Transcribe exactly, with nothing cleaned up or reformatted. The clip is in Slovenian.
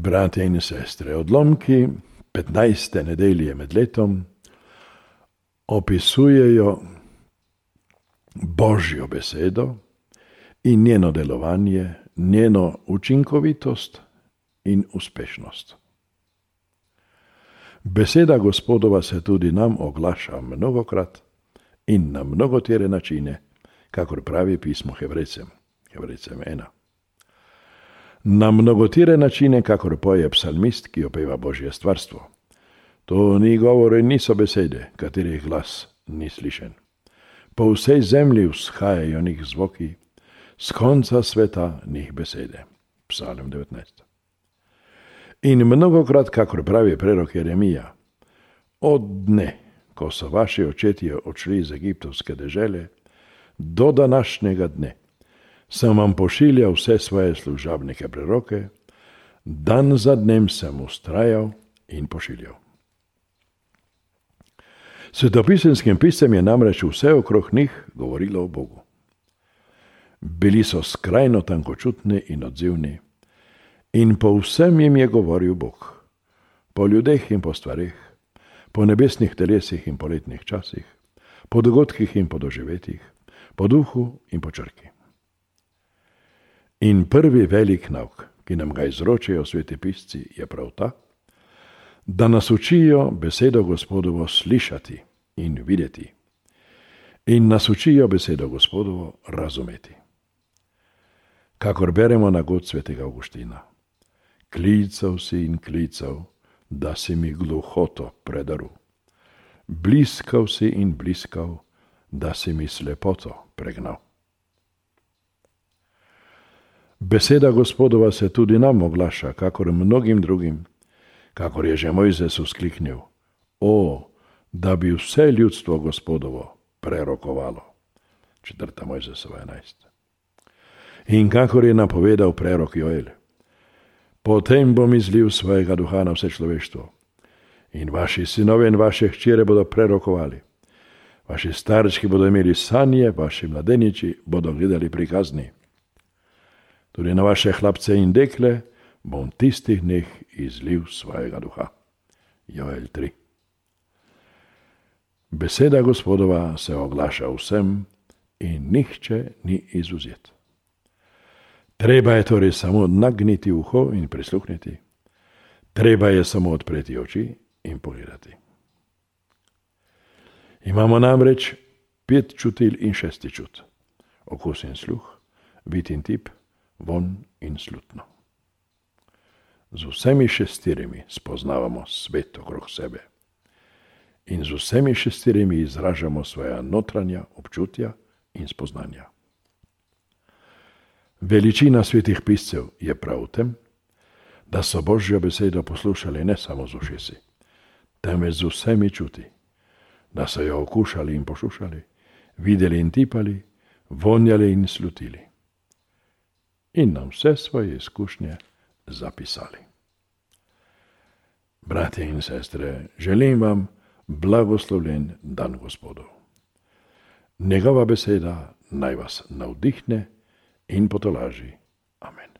Bratje in sestre, odlomki petnajste nedelje med letom opisujejo Božjo besedo in njeno delovanje, njeno učinkovitost in uspešnost. Beseda Gospodova se tudi nam oglaša mnogokrat in na mnogotere načine, kakor pravi pismo Hebrejcem, Hebrejcem ena. Na mnogotere načine, kakor poje psalmist, ki opeva Božje stvarstvo. To ni govor in niso besede, katerih glas ni slišen. Po vsej zemlji vzhajajo njih zvoki, z konca sveta njih besede. Psalm devetnajst. In mnogokrat, kakor pravi prerok Jeremija, od dne, ko so vaši očetje odšli iz egiptovske dežele, do današnjega dne, sem vam pošiljal vse svoje služabnike preroke, dan za dnem sem ustrajal in pošiljal. Svetopisenskim piscem je namreč vse okrog njih govorilo o Bogu. Bili so skrajno tankočutni in odzivni in po vsem jim je govoril Bog, po ljudeh in po stvareh, po nebesnih telesih in po letnih časih, po dogodkih in po doživetjih, po duhu in po črki. In prvi velik nauk, ki nam ga izročajo sveti pisci, je prav ta, da nas učijo besedo Gospodovo slišati in videti in nas učijo besedo Gospodovo razumeti. Kakor beremo na god svetega Avguština, klical si in klical, da si mi gluhoto predaril, bliskal si in bliskal, da si mi slepoto pregnal. Beseda Gospodova se tudi nam oglaša, kakor mnogim drugim, kakor je že Mojzes vzkliknil, o, da bi vse ljudstvo Gospodovo prerokovalo. Četrta Mojzesova enajst. In kakor je napovedal prerok Joel, potem bom izlil svojega duha na vse človeštvo in vaši sinovi in vaše hčere bodo prerokovali. Vaši starčki bodo imeli sanje, vaši mladeniči bodo gledali prikazni. Tudi na vaše hlapce in dekle bom tistih dneh izlil svojega duha. Joel tri. Beseda Gospodova se oglaša vsem in nihče ni izvzet. Treba je torej samo nagniti uho in prisluhniti. Treba je samo odpreti oči in pogledati. Imamo namreč pet čutil in šesti čut. Okus in sluh, vid in tip, von in slutno. Z vsemi šestirimi spoznavamo svet okrog sebe in z vsemi šestirimi izražamo svoja notranja občutja in spoznanja. Veličina svetih piscev je prav v tem, da so Božjo besedo poslušali ne samo z ušesi, temveč z vsemi čuti, da so jo okušali in pošušali, videli in tipali, vonjali in slutili. In nam vse svoje izkušnje zapisali. Bratje in sestre, želim vam blagoslovljen dan Gospodov. Njegova beseda naj vas navdihne in potolaži. Amen.